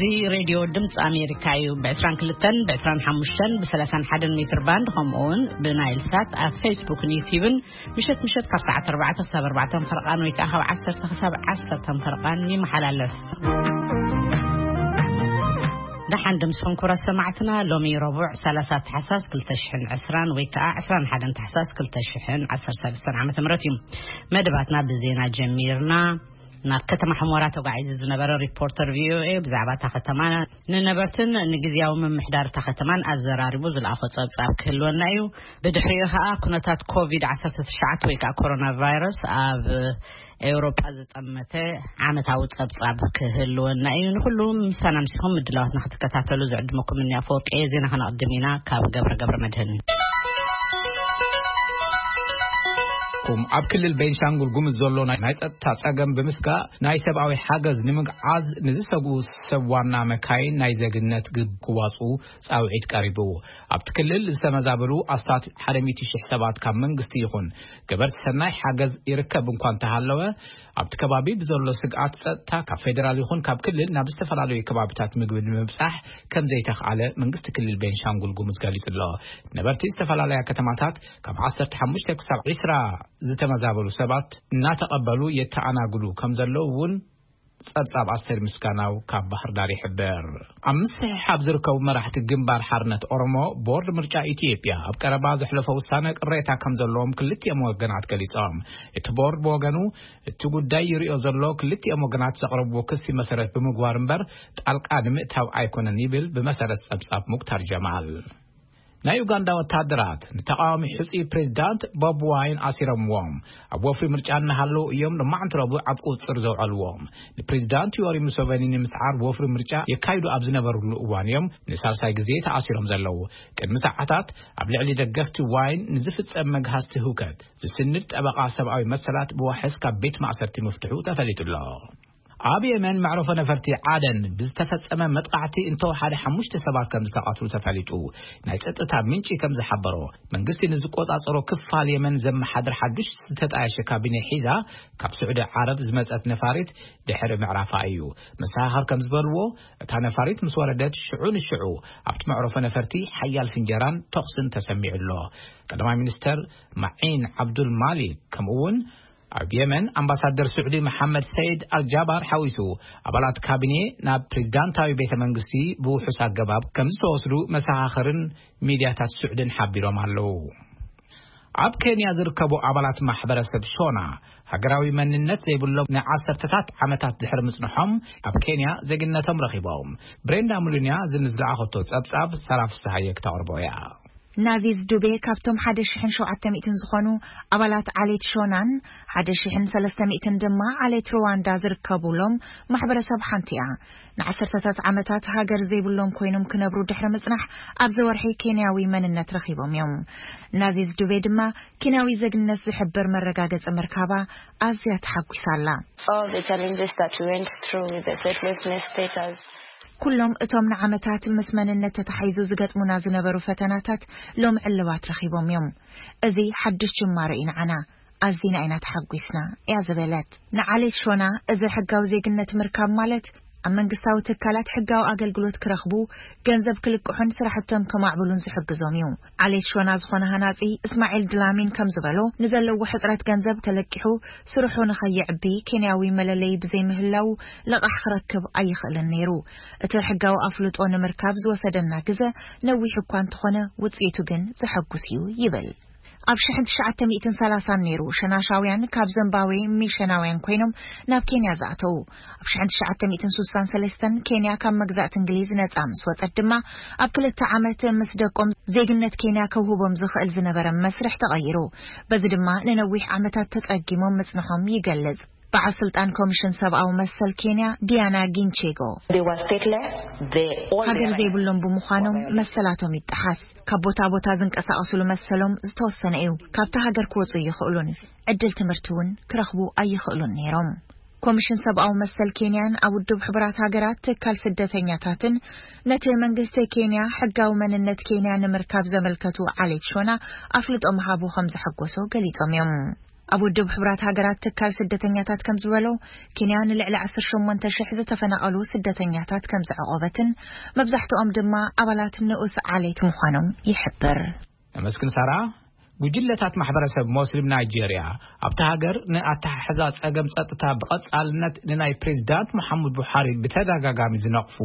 እዚ ሬድዮ ድምፂ ኣሜሪካ እዩ። ብ22፣ ብ25፣ ብ31 ሜትር ባንድ፣ ከምኡ እውን ብናይል ሳት ኣብ ፌስቡክን ዩቲዩብን ምሸት ምሸት ካብ ሰዓት 4 ክሳብ 4 ፈርቓን ወይ ከዓ ካብ 10 ክሳብ 10 ፈርቓን ይመሓላለፍ። ደሓን ድምፅኹም ክቡራት ሰማዕትና። ሎሚ ረቡዕ 30 ታሕሳስ 2020 ወይ ከዓ 21 ታሕሳስ 2013 ዓ.ም እዩ። መደባትና ብዜና ጀሚርና። ናብ ከተማ ሕሞራ ተጓዒዙ ዝነበረ ሪፖርተር ቪኦኤ ብዛዕባ እታ ከተማ ንነበርትን ንግዝያዊ ምምሕዳር እታ ከተማን ኣዘራሪቡ ዝለኣኾ ጸብጻብ ክህልወና እዩ። ብድሕሪኡ ኸኣ ኩነታት ኮቪድ-19 ወይ ከዓ ኮሮና ቫይረስ ኣብ ኤውሮጳ ዝጠመተ ዓመታዊ ጸብጻብ ክህልወና እዩ። ንኹሉ ምሳና ምሲኹም ምድላዋትና ክትከታተሉ ዝዕድመኩም እኒ ኣፈወርቂ እየ። ዜና ከነቕድም ኢና ካብ ገብረ ገብረ መድህን። ኩም ኣብ ክልል ቤንሻንጉል ጉምዝ ዘሎ ናይ ናይ ጸጥታ ጸገም ብምስጋእ ናይ ሰብኣዊ ሓገዝ ንምግዓዝ ንዝሰግኡ ሰብ ዋና መካይን ናይ ዜግነት ግብ ክዋጽኡ ጻውዒት ቀሪቡ። ኣብቲ ክልል ዝተመዛበሉ ኣስታት ሓደ ሚእቲ ሺሕ ሰባት ካብ መንግስቲ ይኹን ገበርቲ ሰናይ ሓገዝ ይርከብ እንኳ እንተሃለወ፣ ኣብቲ ከባቢ ብዘሎ ስግኣት ጸጥታ ካብ ፌደራል ይኹን ካብ ክልል ናብ ዝተፈላለዩ ከባቢታት ምግቢ ንምብጻሕ ከም ዘይተኽኣለ መንግስቲ ክልል ቤንሻንጉል ጉሙዝ ገሊጹ ኣሎ። ነበርቲ ዝተፈላለያ ከተማታት ካብ 15 ክሳብ 20 ዝተመዛበሉ ሰባት እናተቐበሉ የተኣናግዱ ከም ዘለዉ እውን ጸብጻብ ኣስቴር ምስጋናው ካብ ባህር ዳር ይሕብር። ኣብ ምስሕሓብ ዝርከቡ መራሕቲ ግንባር ሓርነት ኦሮሞ፣ ቦርድ ምርጫ ኢትዮጵያ ኣብ ቀረባ ዘሕለፎ ውሳነ ቅሬታ ከም ዘለዎም ክልቲኦም ወገናት ገሊጾም። እቲ ቦርድ ብወገኑ፣ እቲ ጉዳይ ይሪኦ ዘሎ ክልቲኦም ወገናት ዘቕረብዎ ክሲ መሰረት ብምግባር እምበር ጣልቃ ንምእታው ኣይኮነን ይብል ብመሰረት ጸብጻብ ሙክታር ጀማል። ናይ ኡጋንዳ ወታደራት ንተቃዋሚ ሕጹይ ፕሬዝዳንት ቦብ ዋይን ኣሲሮምዎም ኣብ ወፍሪ ምርጫ እናሃለዉ እዮም ሎማዕንቲ ረቡዕ ኣብ ቁጽር ዘውዐልዎም። ንፕሬዝዳንት ዮሪ ሙሴቬኒ ንምስዓር ወፍሪ ምርጫ የካይዱ ኣብ ዝነበሩሉ እዋን እዮም ንሳልሳይ ግዜ ተኣሲሮም ዘለዉ። ቅድሚ ሰዓታት ኣብ ልዕሊ ደገፍቲ ዋይን ንዝፍጸም መግሃስቲ ህውከት ዝስንድ ጠበቓ ሰብኣዊ መሰላት ብዋሕስ ካብ ቤት ማእሰርቲ ምፍትሑ ተፈሊጡ ኣሎ። ኣብ የመን መዕረፎ ነፈርቲ ዓደን ብዝተፈጸመ መጥቃዕቲ እንተወሓደ ሓሙሽተ ሰባት ከም ዝተቐትሉ ተፈሊጡ። ናይ ጸጥታ ምንጪ ከም ዝሓበሮ፣ መንግስቲ ንዝቆጻጸሮ ክፋል የመን ዘመሓድር ሓዱሽ ዝተጣየሸ ካቢነ ሒዛ ካብ ስዑዲ ዓረብ ዝመጸት ነፋሪት ድሕሪ ምዕራፋ እዩ። መሰኻኽር ከም ዝበልዎ፣ እታ ነፋሪት ምስ ወረደት ሽዑ ንሽዑ ኣብቲ መዕረፎ ነፈርቲ ሓያል ፍንጀራን ተኹስን ተሰሚዑ ኣሎ። ቀዳማይ ሚኒስተር ማዒን ዓብዱል ማሊክ ከምኡ እውን ኣብ የመን ኣምባሳደር ስዑዲ መሓመድ ሰይድ ኣልጃባር ሓዊሱ ኣባላት ካቢኔ ናብ ፕሬዝዳንታዊ ቤተ መንግስቲ ብውሑስ ኣገባብ ከም ዝተወስዱ መሰኻኽርን ሚድያታት ስዑድን ሓቢሮም ኣለዉ። ኣብ ኬንያ ዝርከቡ ኣባላት ማሕበረሰብ ሾና ሃገራዊ መንነት ዘይብሎም ንዓሰርተታት ዓመታት ድሕሪ ምጽንሖም ኣብ ኬንያ ዜግነቶም ረኺቦም። ብሬንዳ ሙሉንያ ዝንዝለኣኸቶ ጸብጻብ ሰራ ፍስሃየ ክተቕርቦ እያ። ናዚዝ ዱቤ ካብቶም 1,700 ዝኾኑ ኣባላት ዓሌት ሾናን 1,300 ድማ ዓሌት ሩዋንዳ ዝርከቡሎም ማሕበረሰብ ሓንቲ እያ። ንዓሰርተታት ዓመታት ሃገር ዘይብሎም ኮይኖም ክነብሩ ድሕሪ ምጽናሕ ኣብዚ ወርሒ ኬንያዊ መንነት ረኺቦም እዮም። ናዚዝ ዱቤ ድማ ኬንያዊ ዜግነት ዝሕብር መረጋገጺ ምርካባ ኣዝያ ተሓጒሳ ኣላ። All the challenges that we went through with the statelessness status. ኩሎም እቶም ንዓመታት ምስ መንነት ተታሒዙ ዝገጥሙና ዝነበሩ ፈተናታት ሎም ዕልባት ረኺቦም እዮም። እዚ ሓድሽ ጅማሮ እዩ ንዓና። ኣዚና ኢና ተሓጒስና እያ ዝበለት። ንዓሌት ሾና እዚ ሕጋዊ ዜግነት ምርካብ ማለት ኣብ መንግስታዊ ትካላት ሕጋዊ ኣገልግሎት ክረኽቡ፣ ገንዘብ ክልቅሑን ስራሕቶም ከማዕብሉን ዝሕግዞም እዩ። ዓሌት ሾና ዝኾነ ሃናጺ እስማዒል ድላሚን ከም ዝበሎ፣ ንዘለዎ ሕጽረት ገንዘብ ተለቂሑ ስርሑ ንኸይዕቢ ኬንያዊ መለለዪ ብዘይምህላው ልቓሕ ክረክብ ኣይኽእልን ነይሩ። እቲ ሕጋዊ ኣፍልጦ ንምርካብ ዝወሰደና ግዘ ነዊሕ እኳ እንተኾነ ውጽኢቱ ግን ዘሐጉስ እዩ ይብል። ኣብ ሽሕን ትሽዓተ ሚእትን ሰላሳን ነይሩ ሸናሻውያን ካብ ዘምባዌ ሚሸናውያን ኮይኖም ናብ ኬንያ ዝኣተዉ። ኣብ ሽሕን ትሽዓተ ሚእትን ሱሳን ሰለስተን ኬንያ ካብ መግዛእቲ እንግሊዝ ነጻ ምስ ወጸት ድማ ኣብ ክልተ ዓመት ምስ ደቆም ዜግነት ኬንያ ከውህቦም ዝኽእል ዝነበረ መስርሕ ተቐይሩ። በዚ ድማ ንነዊሕ ዓመታት ተጸጊሞም ምጽንሖም ይገልጽ። በዓል ስልጣን ኮሚሽን ሰብኣዊ መሰል ኬንያ ዲያና ጊንቼጎ። They were stateless. They all ሃገር their ዘይብሎም ብምዃኖም መሰላቶም ይጠሓስ። ካብ ቦታ ቦታ ዝንቀሳቐስሉ መሰሎም ዝተወሰነ እዩ። ካብታ ሃገር ክወፁ ይኽእሉን ዕድል ትምህርቲ እውን ክረኽቡ ኣይኽእሉን ነይሮም። ኮሚሽን ሰብኣዊ መሰል ኬንያን ኣብ ውድብ ሕቡራት ሃገራት ትካል ስደተኛታትን ነቲ መንግስቲ ኬንያ ሕጋዊ መንነት ኬንያ ንምርካብ ዘመልከቱ ዓሌት ሾና ኣፍልጦ ምሃቡ ከም ዘሐጎሶ ገሊጾም እዮም። ኣብ ውድብ ሕቡራት ሃገራት ትካል ስደተኛታት ከም ዝበሎ፣ ኬንያ ንልዕሊ ዓሰርተ ሸሞንተ ሽሕ ዝተፈናቐሉ ስደተኛታት ከም ዘዕቆበትን መብዛሕትኦም ድማ ኣባላት ንኡስ ዓሌት ምዃኖም ይሕብር። ነመስግን ሳራ። ጉጅለታት ማሕበረሰብ ሞስሊም ናይጄርያ ኣብቲ ሃገር ንኣተሓሕዛ ጸገም ጸጥታ ብቐጻልነት ንናይ ፕሬዚዳንት መሓሙድ ቡሓሪ ብተደጋጋሚ ዝነቕፉ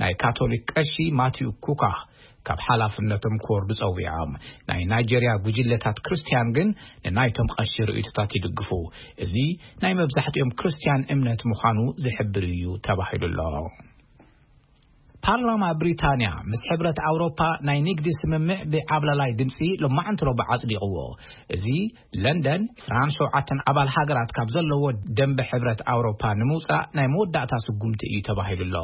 ናይ ካቶሊክ ቀሺ ማቲዩ ኩካ ካብ ሓላፍነቶም ክወርዱ ጸዊዖም። ናይ ናይጄርያ ጉጅለታት ክርስትያን ግን ንናይቶም ቀሺ ርእይቶታት ይድግፉ። እዚ ናይ መብዛሕትኦም ክርስትያን እምነት ምዃኑ ዝሕብር እዩ ተባሂሉ ኣሎ። ፓርላማ ብሪታንያ ምስ ሕብረት ኣውሮፓ ናይ ንግዲ ስምምዕ ብዓብላላይ ድምፂ ሎማዓንቲ ረቡዕ ኣጽዲቕዎ። እዚ ለንደን ዕስራን ሸውዓተን ኣባል ሃገራት ካብ ዘለዎ ደንበ ሕብረት ኣውሮፓ ንምውፃእ ናይ መወዳእታ ስጉምቲ እዩ ተባሂሉ ኣሎ።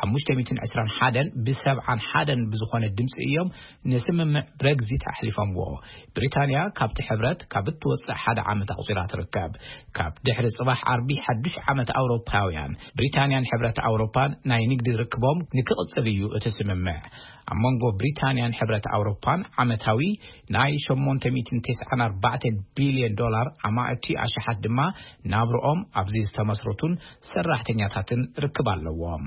ሓሙሽተ ሚእትን ዕስራን ሓደን ብሰብዓን ሓደን ብዝኾነ ድምፂ እዮም ንስምምዕ ብረግዚት ኣሕሊፎምዎ። ብሪታንያ ካብቲ ሕብረት ካብ እትወፅእ ሓደ ዓመት ኣቑፂራ ትርከብ። ካብ ድሕሪ ጽባሕ ዓርቢ ሓድሽ ዓመት ኣውሮፓውያን፣ ብሪታንያን ሕብረት ኣውሮፓን ናይ ንግዲ ርክቦም ንክቕጽል እዩ እቲ ስምምዕ። ኣብ መንጎ ብሪታንያን ሕብረት ኣውሮፓን ዓመታዊ ናይ ሸሞንተ ሚእትን ተስዓን ኣርባዕተን ቢልዮን ዶላር ኣማእቲ ኣሽሓት ድማ ናብርኦም ኣብዚ ዝተመስረቱን ሰራሕተኛታትን ርክብ ኣለዎም።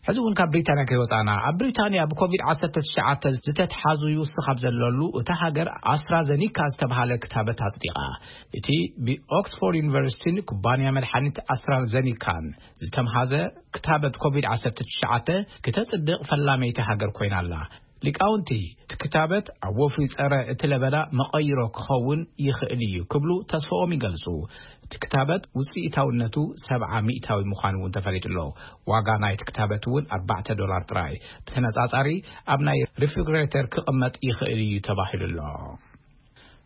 ሕዚ እውን ካብ ብሪታንያ ከይወፃና፣ ኣብ ብሪታንያ ብኮቪድ ዓሰርተ ትሽዓተ ዝተትሓዙ ይውስኽ ኣብ ዘለሉ፣ እታ ሃገር ኣስትራዘኒካ ዝተብሃለ ክታበት ኣጽዲቓ። እቲ ብኦክስፎርድ ዩኒቨርሲቲን ኩባንያ መድሓኒት ኣስትራዘኒካን ዝተምሃዘ ክታበት ኮቪድ ዓሰርተ ትሽዓተ ክተጽድቕ ፈላመይቲ ሃገር ኮይና ኣላ። ሊቃውንቲ፣ እቲ ክታበት ኣብ ወፍሪ ጸረ እቲ ለበዳ መቐይሮ ክኸውን ይኽእል እዩ ክብሉ ተስፋኦም ይገልጹ። እቲ ክታበት ውጽኢታውነቱ ሰብዓ ሚእታዊ ምዃኑ እውን ተፈሊጡ ኣሎ። ዋጋ ናይቲ ክታበት እውን ኣርባዕተ ዶላር ጥራይ። ብተነጻጻሪ ኣብ ናይ ሪፍሪጅሬተር ክቕመጥ ይኽእል እዩ ተባሂሉ ኣሎ።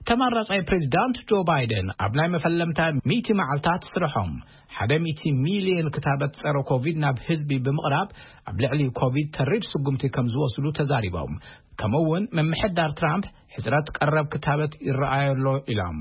ተመራጻይ ፕሬዚዳንት ጆ ባይደን ኣብ ናይ መፈለምታ ሚእቲ መዓልታት ስርሖም ሓደ ሚእቲ ሚልዮን ክታበት ጸረ ኮቪድ ናብ ህዝቢ ብምቕራብ ኣብ ልዕሊ ኮቪድ ተሪር ስጉምቲ ከም ዝወስዱ ተዛሪቦም። ከምኡ እውን ምምሕዳር ትራምፕ ሕጽረት ቀረብ ክታበት ይረኣዮ ኣሎ ኢሎም።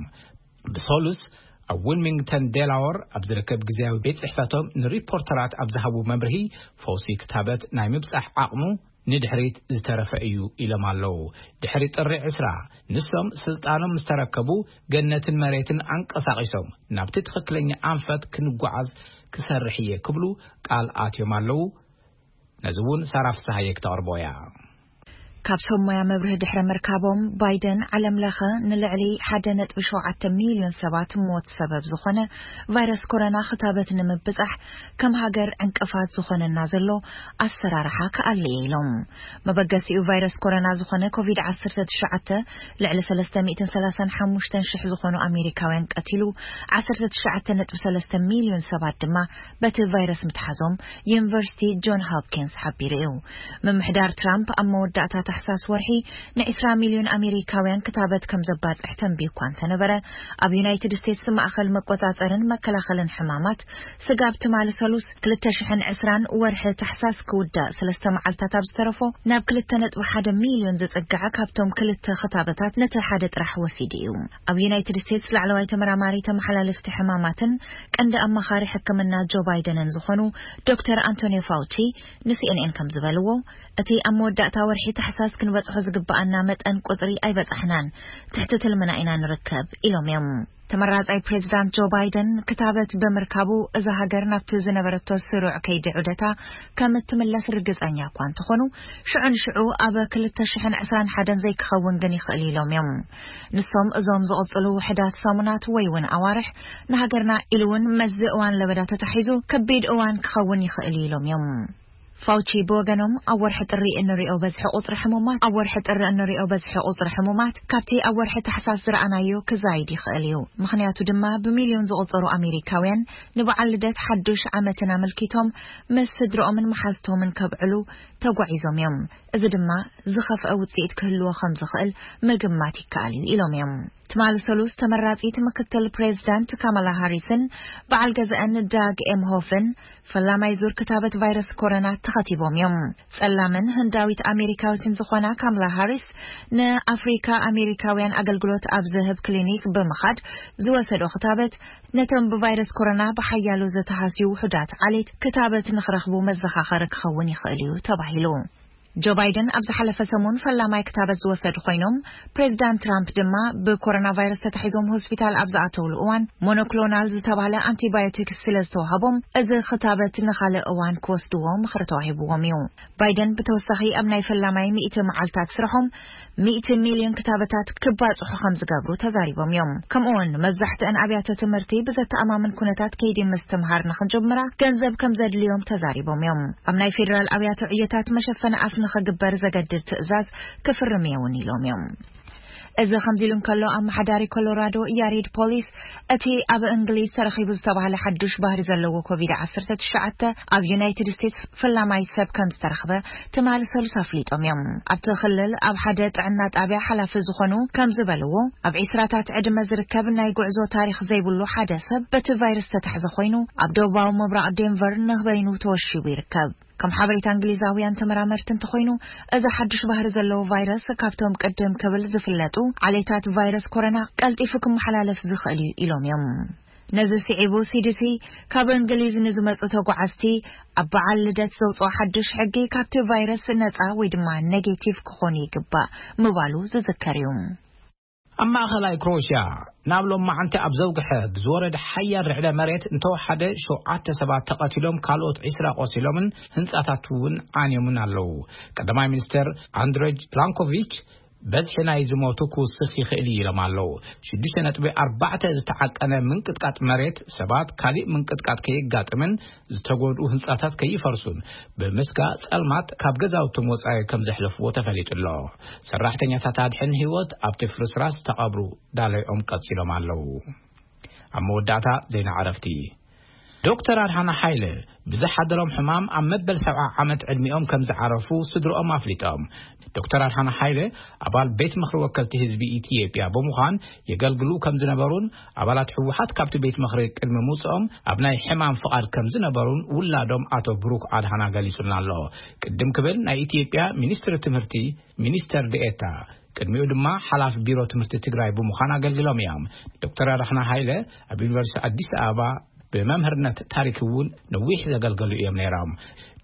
ብሰሉስ ኣብ ዊልሚንግተን ዴላወር ኣብ ዝርከብ ግዜያዊ ቤት ጽሕፈቶም ንሪፖርተራት ኣብ ዝሃቡ መምርሂ፣ ፈውሲ ክታበት ናይ ምብጻሕ ዓቕሙ ንድሕሪት ዝተረፈ እዩ ኢሎም ኣለዉ። ድሕሪ ጥሪ ዕስራ ንሶም ስልጣኖም ምስ ተረከቡ፣ ገነትን መሬትን ኣንቀሳቒሶም ናብቲ ትኽክለኛ ኣንፈት ክንጓዓዝ ክሰርሕ እየ ክብሉ ቃል ኣትዮም ኣለዉ። ነዚ እውን ሳራ ፍስሃየ ክተቕርቦ እያ። ካብ ሰብ ሞያ መብርሂ ድሕሪ ምርካቦም፣ ባይደን ዓለም ለኸ ንልዕሊ ሓደ ነጥቢ ሸውዓተ ሚልዮን ሰባት ሞት ሰበብ ዝኾነ ቫይረስ ኮሮና ክታበት ንምብጻሕ ከም ሃገር ዕንቅፋት ዝኾነና ዘሎ ኣሰራርሓ ክኣሊ እየ ኢሎም። መበገሲኡ ቫይረስ ኮሮና ዝኾነ ኮቪድ ዓሰርተ ትሽዓተ ልዕሊ ሰለስተ ሚእትን ሰላሳን ሓሙሽተን ሽሕ ዝኾኑ ኣሜሪካውያን ቀቲሉ፣ ዓሰርተ ትሽዓተ ነጥቢ ሰለስተ ሚልዮን ሰባት ድማ በቲ ቫይረስ ምትሓዞም ዩኒቨርሲቲ ጆን ሆፕኪንስ ሓቢሩ እዩ። ምምሕዳር ትራምፕ ኣብ መወዳእታ ታሕሳስ ወርሒ ንዕስራ ሚልዮን ኣሜሪካውያን ክታበት ከም ዘባጽሕ ተንቢዩ እኳ እንተነበረ፣ ኣብ ዩናይትድ ስቴትስ ማእኸል መቆጻጸርን መከላኸልን ሕማማት ስጋብ ትማሊ ሰሉስ ክልተ ሽሕን ዕስራን ወርሒ ታሕሳስ ክውዳእ ሰለስተ መዓልታት ኣብ ዝተረፎ፣ ናብ ክልተ ነጥቢ ሓደ ሚልዮን ዝጽጋዕ ካብቶም ክልተ ክታበታት ነቲ ሓደ ጥራሕ ወሲዱ እዩ። ኣብ ዩናይትድ ስቴትስ ላዕለዋይ ተመራማሪ ተመሓላለፍቲ ሕማማትን ቀንዲ ኣማኻሪ ሕክምና ጆ ባይደንን ዝኾኑ ዶክተር ኣንቶኒዮ ፋውቺ ንሲኤንኤን ከም ዝበልዎ፣ እቲ ኣብ መወዳእታ ወርሒ ታሕሳስ ክንበጽሖ ዝግብኣና መጠን ቁጽሪ ኣይበጻሕናን፣ ትሕቲ ትልምና ኢና ንርከብ ኢሎም እዮም። ተመራጻይ ፕሬዚዳንት ጆ ባይደን ክታበት ብምርካቡ፣ እዛ ሃገር ናብቲ ዝነበረቶ ስሩዕ ከይዲ ዑደታ ከም እትምለስ ርግጸኛ እኳ እንተኾኑ፣ ሽዑ ንሽዑ ኣብ ክልተ ሽሕን ዕስራን ሓደን ዘይክኸውን ግን ይኽእል ኢሎም እዮም። ንሶም እዞም ዝቕጽሉ ውሕዳት ሰሙናት ወይ እውን ኣዋርሕ ንሃገርና ኢሉ እውን መዚ እዋን ለበዳ ተታሒዙ ከቢድ እዋን ክኸውን ይኽእል እዩ ኢሎም እዮም። ፋውቺ ብወገኖም፣ ኣብ ወርሒ ጥሪ እንሪኦ በዝሒ ቁጽሪ ሕሙማት፣ ኣብ ወርሒ ጥሪ እንሪኦ በዝሒ ቁጽሪ ሕሙማት ካብቲ ኣብ ወርሒ ታሕሳስ ዝረኣናዮ ክዛይድ ይኽእል እዩ። ምኽንያቱ ድማ ብሚልዮን ዝቑጸሩ ኣሜሪካውያን ንበዓል ልደት ሓዱሽ ዓመትን ኣመልኪቶም ምስ ስድርኦምን መሓዝቶምን ከብዕሉ ተጓዒዞም እዮም። እዚ ድማ ዝኸፍአ ውጽኢት ክህልዎ ከም ዝኽእል ምግማት ይከኣል እዩ ኢሎም እዮም። ትማሊ ሰሉስ ተመራጺት ምክትል ፕሬዚዳንት ካማላ ሃሪስን በዓል ገዛእን ዳግ ኤምሆፍን ፈላማይ ዙር ክታበት ቫይረስ ኮሮና ተኸቲቦም እዮም። ጸላምን ህንዳዊት ኣሜሪካዊትን ዝኾና ካምላ ሃሪስ ንኣፍሪካ ኣሜሪካውያን ኣገልግሎት ኣብ ዝህብ ክሊኒክ ብምኻድ ዝወሰዶ ክታበት ነቶም ብቫይረስ ኮሮና ብሓያሎ ዝተሃስዩ ውሑዳት ዓሌት ክታበት ንኽረኽቡ መዘኻኸሪ ክኸውን ይኽእል እዩ ተባሂሉ። ጆ ባይደን ኣብ ዝሓለፈ ሰሙን ፈላማይ ክታበት ዝወሰዱ ኮይኖም፣ ፕሬዚዳንት ትራምፕ ድማ ብኮሮና ቫይረስ ተታሒዞም ሆስፒታል ኣብ ዝኣተውሉ እዋን ሞኖክሎናል ዝተባህለ ኣንቲባዮቲክስ ስለ ዝተዋሃቦም፣ እዚ ክታበት ንኻልእ እዋን ክወስድዎ ምኽሪ ተዋሂብዎም እዩ። ባይደን ብተወሳኺ ኣብ ናይ ፈላማይ ሚእቲ መዓልታት ስርሖም ሚእቲ ሚልዮን ክታበታት ክባጽሑ ከም ዝገብሩ ተዛሪቦም እዮም። ከምኡ እውን መብዛሕትአን ኣብያተ ትምህርቲ ብዘተኣማምን ኩነታት ከይዲ ምስትምሃር ንክንጀምራ ገንዘብ ከም ዘድልዮም ተዛሪቦም እዮም። ኣብ ናይ ፌዴራል ኣብያተ ዕዮታት መሸፈኒ ኣፍ ንክግበር ዘገድድ ትእዛዝ ክፍርም እየ እውን ኢሎም እዮም። እዚ ከምዚ ኢሉ እንከሎ፣ ኣመሓዳሪ ኮሎራዶ ያሬድ ፖሊስ እቲ ኣብ እንግሊዝ ተረኺቡ ዝተባህለ ሓዱሽ ባህሪ ዘለዎ ኮቪድ ዓሰርተ ትሽዓተ ኣብ ዩናይትድ ስቴትስ ፈላማይ ሰብ ከም ዝተረኽበ ትማሊ ሰሉስ ኣፍሊጦም እዮም። ኣብቲ ክልል ኣብ ሓደ ጥዕና ጣብያ ሓላፊ ዝኾኑ ከም ዝበልዎ፣ ኣብ ዒስራታት ዕድመ ዝርከብ ናይ ጉዕዞ ታሪኽ ዘይብሉ ሓደ ሰብ በቲ ቫይረስ ተታሕዘ ኮይኑ፣ ኣብ ደቡባዊ ምብራቕ ዴንቨር ንበይኑ ተወሺቡ ይርከብ። ከም ሓበሬታ እንግሊዛውያን ተመራመርቲ እንተኾይኑ፣ እዚ ሓዱሽ ባህሪ ዘለዎ ቫይረስ ካብቶም ቅድም ክብል ዝፍለጡ ዓሌታት ቫይረስ ኮሮና ቀልጢፉ ክመሓላለፍ ዝኽእል እዩ ኢሎም እዮም። ነዚ ስዒቡ፣ ሲዲሲ ካብ እንግሊዝ ንዝመጹ ተጓዓዝቲ ኣብ በዓል ልደት ዘውፅኦ ሓዱሽ ሕጊ ካብቲ ቫይረስ ነፃ ወይ ድማ ኔጌቲቭ ክኾኑ ይግባእ ምባሉ ዝዝከር እዩ። ኣብ ማእኸላይ ክሮኤሽያ ናብ ሎማዓንቲ ኣብ ዘውግሐ ብዝወረደ ሓያል ርዕደ መሬት እንተወሓደ ሸውዓተ ሰባት ተቐቲሎም፣ ካልኦት ዒስራ ቆሲሎምን ህንጻታት እውን ዓንዮምን ኣለዉ። ቀዳማይ ሚኒስተር ኣንድሬጅ ፕላንኮቪች በዝሒ ናይ ዝሞቱ ክውስኽ ይኽእል እዩ ኢሎም ኣለዉ። ሽዱሽተ ነጥቢ ኣርባዕተ ዝተዓቀነ ምንቅጥቃጥ መሬት ሰባት ካሊእ ምንቅጥቃጥ ከየጋጥምን ዝተጎድኡ ህንጻታት ከይፈርሱን ብምስጋ ጸልማት ካብ ገዛውቶም ወጻኢ ከም ዘሕለፍዎ ተፈሊጡ ኣሎ። ሰራሕተኛታት ኣድሕን ህይወት ኣብቲ ፍርስራስ ተቐብሩ ዳለይኦም ቀጺሎም ኣለዉ። ኣብ መወዳእታ ዜና ዕረፍቲ። ዶክተር ኣድሓና ሓይለ ብዝሓደሮም ሕማም ኣብ መበል ሰብዓ ዓመት ዕድሚኦም ከም ዝዓረፉ ስድሮኦም ኣፍሊጦም። ዶክተር ኣድሓና ሓይለ ኣባል ቤት ምኽሪ ወከልቲ ህዝቢ ኢትዮጵያ ብምዃን የገልግሉ ከም ዝነበሩን ኣባላት ህወሓት ካብቲ ቤት ምኽሪ ቅድሚ ምውፅኦም ኣብ ናይ ሕማም ፍቓድ ከም ዝነበሩን ውላዶም ኣቶ ብሩክ ኣድሓና ገሊጹልና ኣሎ። ቅድም ክብል ናይ ኢትዮጵያ ሚኒስትሪ ትምህርቲ ሚኒስተር ዴኤታ፣ ቅድሚኡ ድማ ሓላፍ ቢሮ ትምህርቲ ትግራይ ብምዃን ኣገልግሎም እዮም። ዶክተር ኣድሓና ሃይለ ኣብ ዩኒቨርሲቲ ኣዲስ ኣበባ ብመምህርነት ታሪክ እውን ነዊሕ ዘገልገሉ እዮም ነይሮም።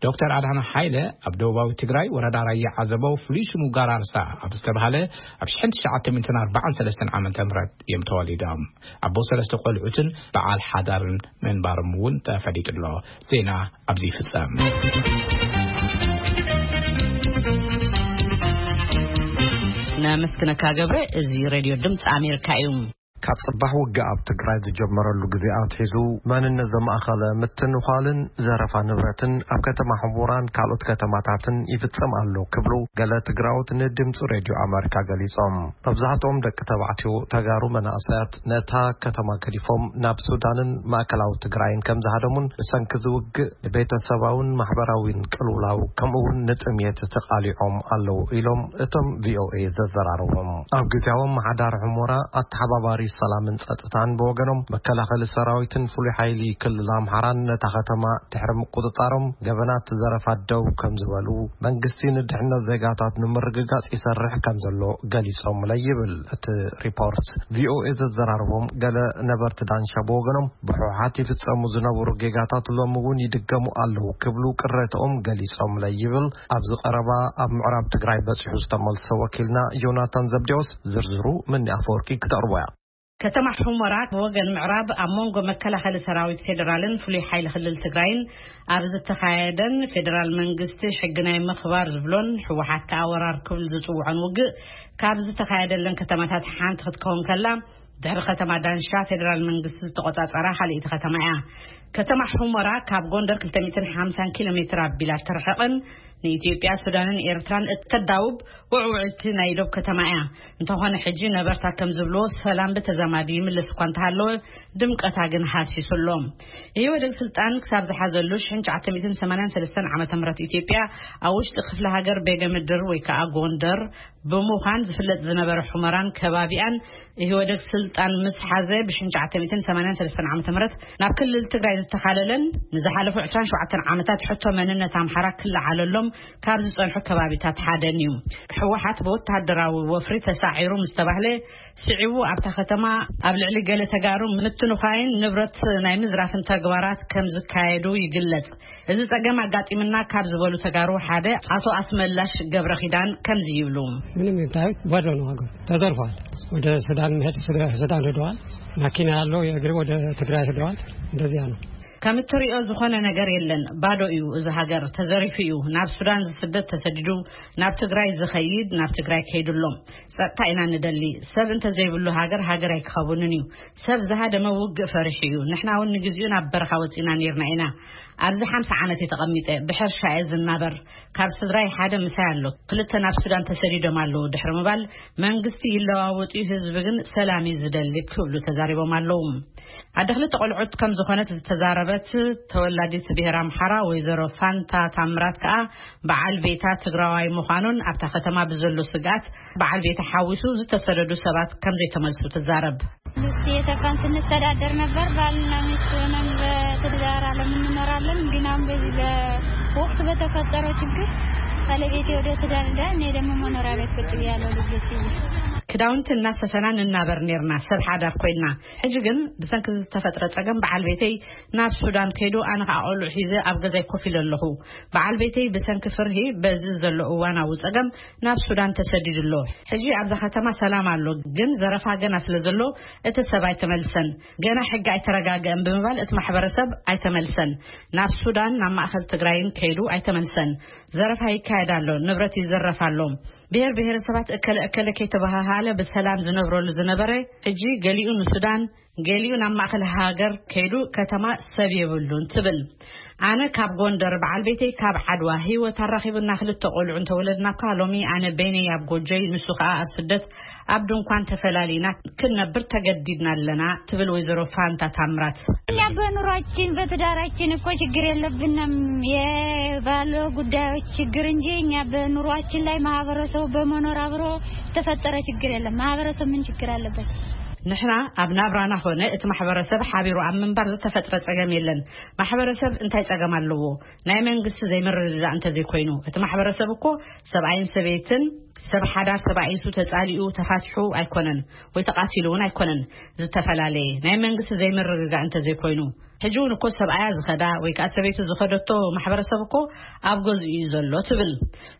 ዶክተር ኣድሓና ሃይለ ኣብ ደቡባዊ ትግራይ ወረዳ ራያ ዓዘቦ ፍሉይ ሽሙ ጋራርሳ ኣብ ዝተባህለ ኣብ ሽሕን ትሽዓተ ሚእትን ኣርባዓን ሰለስተን ዓመተ ምህረት እዮም ተወሊዶም። ኣቦ ሰለስተ ቆልዑትን በዓል ሓዳርን ምንባሮም እውን ተፈሊጡ ኣሎ። ዜና ኣብዚ ይፍጸም። ነመስግነካ ገብረ። እዚ ሬድዮ ድምፂ ኣሜሪካ እዩ። ካብ ጽባሕ ውግእ ኣብ ትግራይ ዝጀመረሉ ግዜ ኣትሒዙ መንነት ዘማእኸለ ምትንዃልን ዘረፋ ንብረትን ኣብ ከተማ ሕሙራን ካልኦት ከተማታትን ይፍጸም ኣሎ ክብሉ ገለ ትግራዎት ንድምፂ ሬድዮ ኣሜሪካ ገሊጾም። መብዛሕትኦም ደቂ ተባዕትዮ ተጋሩ መናእሰያት ነታ ከተማ ገዲፎም ናብ ሱዳንን ማእከላዊ ትግራይን ከም ዝሃደሙን ብሰንኪ ዝውግእ ንቤተሰባውን ማሕበራዊን ቅልውላው ከምኡ እውን ንጥምየት ተቓሊዖም ኣለዉ ኢሎም እቶም ቪኦኤ ዘዘራረቦም። ኣብ ግዜያዊ ኣመሓዳሪ ሑሞራ ኣተሓባባሪ ሰላምን ጸጥታን ብወገኖም መከላኸሊ ሰራዊትን ፍሉይ ሓይሊ ክልል ኣምሓራን ነታ ከተማ ድሕሪ ምቁጽጻሮም ገበናት ዘረፋ ደው ከም ዝበሉ መንግስቲ ንድሕነት ዜጋታት ንምርግጋጽ ይሰርሕ ከም ዘሎ ገሊጾምለ ይብል እቲ ሪፖርት። ቪኦኤ ዘዘራረቦም ገለ ነበርቲ ዳንሻ ብወገኖም ብሕወሓት ይፍጸሙ ዝነበሩ ጌጋታት ሎሚ እውን ይድገሙ ኣለዉ ክብሉ ቅሬታኦም ገሊጾምለ ይብል ኣብዚ ቀረባ ኣብ ምዕራብ ትግራይ በጺሑ ዝተመልሰ ወኪልና ዮናታን ዘብዴዎስ። ዝርዝሩ ምኒ ኣፈወርቂ ክተቕርቦ እያ። ከተማ ሑመራ ብወገን ምዕራብ ኣብ መንጎ መከላኸሊ ሰራዊት ፌዴራልን ፍሉይ ሓይሊ ክልል ትግራይን ኣብ ዝተኻየደን ፌዴራል መንግስቲ ሕጊ ናይ ምኽባር ዝብሎን ህወሓት ከኣ ወራር ክብል ዝጽውዖን ውግእ ካብ ዝተኻየደለን ከተማታት ሓንቲ ክትከውን ከላ፣ ድሕሪ ከተማ ዳንሻ ፌዴራል መንግስቲ ዝተቆጻጸራ ካልኣይቲ ከተማ እያ። ከተማ ሑመራ ካብ ጎንደር ክልተ ሚእትን ሓምሳን ኪሎ ሜትር ኣቢላ ትርሕቕን ንኢትዮጵያ፣ ሱዳንን ኤርትራን እተዳውብ ውዕውዕቲ ናይ ዶብ ከተማ እያ። እንተኾነ ሕጂ ነበርታ ከም ዝብልዎ ሰላም ብተዛማዲ ይምለስ እኳ እንተሃለወ ድምቀታ ግን ሃሲሱ ኣሎ። ኢህወደግ ስልጣን ክሳብ ዝሓዘሉ ሽሕን ትሽዓተ ሚእትን ሰማንያን ሰለስተን ዓመተ ምህረት ኢትዮጵያ ኣብ ውሽጢ ክፍለ ሃገር ቤገ ምድር ወይ ከዓ ጎንደር ብምዃን ዝፍለጥ ዝነበረ ሑመራን ከባቢኣን ኢህወደግ ስልጣን ምስ ሓዘ ብሽሕን ትሽዓተ ሚእትን ሰማንያን ሰለስተን ዓመተ ምህረት ናብ ክልል ትግራይ ዝተኻለለን ንዝሓለፉ ዕስራን ሸውዓተን ዓመታት ሕቶ መንነት ኣምሓራ ክለዓለሎም ካብ ዝጸንሑ ከባቢታት ሓደን እዩ። ህወሓት ብወታደራዊ ወፍሪ ተሳዒሩ ምስ ተባህለ፣ ስዒቡ ኣብታ ከተማ ኣብ ልዕሊ ገለ ተጋሩ ምትንዃይን ንብረት ናይ ምዝራፍን ተግባራት ከም ዝካየዱ ይግለጽ። እዚ ጸገም ኣጋጢምና ካብ ዝበሉ ተጋሩ ሓደ ኣቶ ኣስመላሽ ገብረ ኪዳን ከምዚ ይብሉ። ምንም ይታዩት ባዶ ነው፣ ሀገር ተዘርፏል። ወደ ሱዳን መሄድ፣ ሱዳን ሄደዋል። መኪና ያለው የእግር ወደ ትግራይ ሄደዋል። እንደዚያ ነው። ከም እትሪኦ ዝኾነ ነገር የለን። ባዶ እዩ፣ እዚ ሃገር ተዘሪፉ እዩ። ናብ ሱዳን ዝስደድ ተሰዲዱ፣ ናብ ትግራይ ዝኸይድ ናብ ትግራይ ከይዱ ኣሎ። ጸጥታ ኢና ንደሊ። ሰብ እንተዘይብሉ ሃገር፣ ሃገር ኣይክኸውንን እዩ። ሰብ ዝሃደመ ውግእ ፈሪሑ እዩ። ንሕና እውን ንግዚኡ ናብ በረኻ ወፂና ነይርና ኢና። ኣብዚ ሓምሳ ዓመት እየ ተቐሚጠ፣ ብሕርሻ እየ ዝናበር። ካብ ስድራይ ሓደ ምሳይ ኣሎ። ክልተ ናብ ሱዳን ተሰዲዶም ኣለዉ ድሕሪ ምባል፣ መንግስቲ ይለዋወጥ እዩ፣ ህዝቢ ግን ሰላም እዩ ዝደሊ ክብሉ ተዛሪቦም ኣለዉ። ኣደ ክልተ ቆልዑት ከም ዝኾነት ዝተዛረበት ተወላዲት ብሄር ኣምሓራ ወይዘሮ ፋንታ ታምራት ከኣ፣ በዓል ቤታ ትግራዋይ ምዃኑን ኣብታ ከተማ ብዘሎ ስግኣት በዓል ቤታ ሓዊሱ ዝተሰደዱ ሰባት ከም ዘይተመልሱ ትዛረብ። ሉሲ የተፋን ስንተዳደር ነበር። ባልና ሚስት ሆነን በትዳር ዓለም እንኖራለን። ግን አሁን በዚህ በወቅት በተፈጠረው ችግር ባለቤቴ ወደ ሱዳን ሄዳ፣ እኔ ደግሞ መኖሪያ ቤት ቁጭ ብያለሁ ልጆች ይዤ። ክዳውንቲ እናሰፈና ንናበር ኔርና፣ ሰብ ሓዳር ኮይና። ሕጂ ግን ብሰንኪ ዝተፈጥረ ጸገም በዓል ቤተይ ናብ ሱዳን ከይዱ፣ ኣነ ኸኣ ቆልዑ ሒዘ ኣብ ገዛይ ኮፍ ኢለ ኣለኹ። በዓል ቤተይ ብሰንኪ ፍርሂ በዚ ዘሎ እዋናዊ ጸገም ናብ ሱዳን ተሰዲዱ ኣሎ። ሕጂ ኣብዛ ከተማ ሰላም ኣሎ፣ ግን ዘረፋ ገና ስለ ዘሎ እቲ ሰብ ኣይተመልሰን። ገና ሕጊ ኣይተረጋገአን ብምባል እቲ ማሕበረሰብ ኣይተመልሰን። ናብ ሱዳን፣ ናብ ማእከል ትግራይን ከይዱ ኣይተመልሰን። ዘረፋ ይካየድ ኣሎ፣ ንብረት ይዝረፍ ኣሎ። ብሔር ብሔረሰባት እከለ እከለ ከይተባሃሃለ ብሰላም ዝነብረሉ ዝነበረ፣ ሕጂ ገሊኡ ንሱዳን፣ ገሊኡ ናብ ማእከል ሃገር ከይዱ፣ ከተማ ሰብ የብሉን ትብል። ኣነ ካብ ጎንደር፣ በዓል ቤተይ ካብ ዓድዋ፣ ህይወት ኣራኺቡና ክልተ ቆልዑ እንተወለድና እኳ፣ ሎሚ ኣነ በይነይ ኣብ ጎጆይ፣ ንሱ ከኣ ኣብ ስደት ኣብ ድንኳን ተፈላሊና ክንነብር ተገዲድና ኣለና ትብል ወይዘሮ ፋንታ ታምራት። እኛ በኑሯችን በትዳራችን እኮ ችግር የለብንም፣ የባለ ጉዳዮች ችግር እንጂ እኛ በኑሯችን ላይ ማህበረሰቡ በመኖር አብሮ የተፈጠረ ችግር የለም። ማህበረሰብ ምን ችግር አለበት? ንሕና ኣብ ናብራና ኾነ እቲ ማሕበረሰብ ሓቢሩ ኣብ ምንባር ዝተፈጥረ ጸገም የለን። ማሕበረሰብ እንታይ ጸገም ኣለዎ? ናይ መንግስቲ ዘይምርድዳእ እንተዘይኮይኑ፣ እቲ ማሕበረሰብ እኮ ሰብኣይን ሰበይትን፣ ሰብ ሓዳር ተባኢሱ ተጻሊኡ ተፋቲሑ ኣይኮነን፣ ወይ ተቓቲሉ እውን ኣይኮነን። ዝተፈላለየ ናይ መንግስቲ ዘይምርግጋእ እንተዘይኮይኑ፣ ሕጂ እውን እኮ ሰብኣያ ዝኸዳ ወይ ከኣ ሰበይቱ ዝኸደቶ ማሕበረሰብ እኮ ኣብ ገዝኡ እዩ ዘሎ ትብል።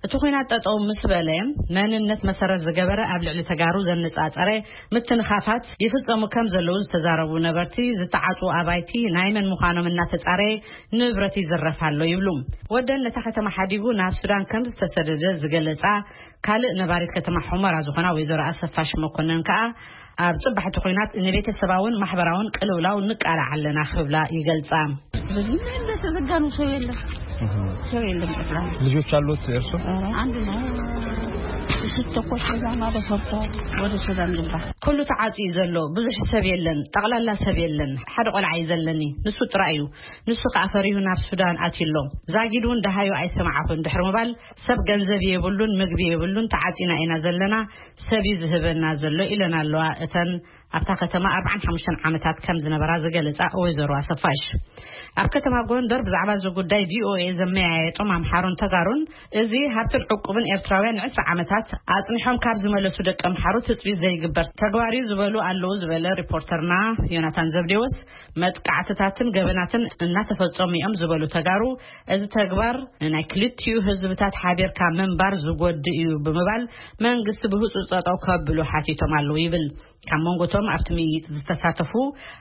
እቲ ኹናት ጠጠው ምስ በለ፣ መንነት መሰረት ዝገበረ ኣብ ልዕሊ ተጋሩ ዘነጻጸረ ምትንኻፋት ይፍጸሙ ከም ዘለዉ ዝተዛረቡ ነበርቲ፣ ዝተዓጽዉ ኣባይቲ ናይ መን ምዃኖም እናተጻረየ ንብረት ይዝረፍ ኣሎ ይብሉ። ወደን ነታ ከተማ ሓዲጉ ናብ ሱዳን ከም ዝተሰደደ ዝገለጻ ካልእ ነባሪት ከተማ ሑመራ ዝኾና ወይዘሮ ኣሰፋሽ መኮነን ከኣ፣ ኣብ ጽባሕቲ ኹናት ንቤተሰባውን ማሕበራውን ቅልውላው ንቃላዕ ኣለና ክብላ ይገልጻ። በዚህ እንደተዘጋ ነው፣ ሰው የለም። ሰው የለም ጠቅላላ። ልጆች አሉት እርሶ? ኧረ አንድ ነው። ስትተኮስ በዛ ማዶ ፈርቶ ወደ ሱዳን ገባ። ኩሉ ተዓጽዩ ዘሎ፣ ብዙሕ ሰብ የለን፣ ጠቕላላ ሰብ የለን። ሓደ ቆልዓ እዩ ዘለኒ፣ ንሱ ጥራይ እዩ። ንሱ ከኣ ፈሪሁ ናብ ሱዳን ኣትዩ ኣሎ። ዛጊድ እውን ደሃዩ ኣይሰማዕኹን ድሕሪ ምባል፣ ሰብ ገንዘብ የብሉን፣ ምግቢ የብሉን፣ ተዓጺና ኢና ዘለና፣ ሰብ እዩ ዝህበና ዘሎ ኢለን ኣለዋ እተን ኣብታ ከተማ ኣርባዓን ሓሙሽተን ዓመታት ከም ዝነበራ ዝገለጻ ወይዘሮ ኣሰፋሽ። ኣብ ከተማ ጎንደር ብዛዕባ እዚ ጉዳይ ቪኦኤ ዘመያየጦም ኣምሓሩን ተጋሩን፣ እዚ ሃብትን ዕቁብን ኤርትራውያን ንዕስራ ዓመታት ኣጽኒሖም ካብ ዝመለሱ ደቂ ኣምሓሩ ትጽቢት ዘይግበር ተግባር እዩ ዝበሉ ኣለዉ ዝበለ ሪፖርተርና ዮናታን ዘብዴዎስ፣ መጥቃዕትታትን ገበናትን እናተፈጸሙ እዮም ዝበሉ ተጋሩ፣ እዚ ተግባር ንናይ ክልቲኡ ህዝብታት ሓቢርካ ምንባር ዝጎድእ እዩ ብምባል መንግስቲ ብህጹጽ ጠጠው ከብሉ ሓቲቶም ኣለዉ ይብል። ካብ መንጎቶም ኣብቲ ምይይጥ ዝተሳተፉ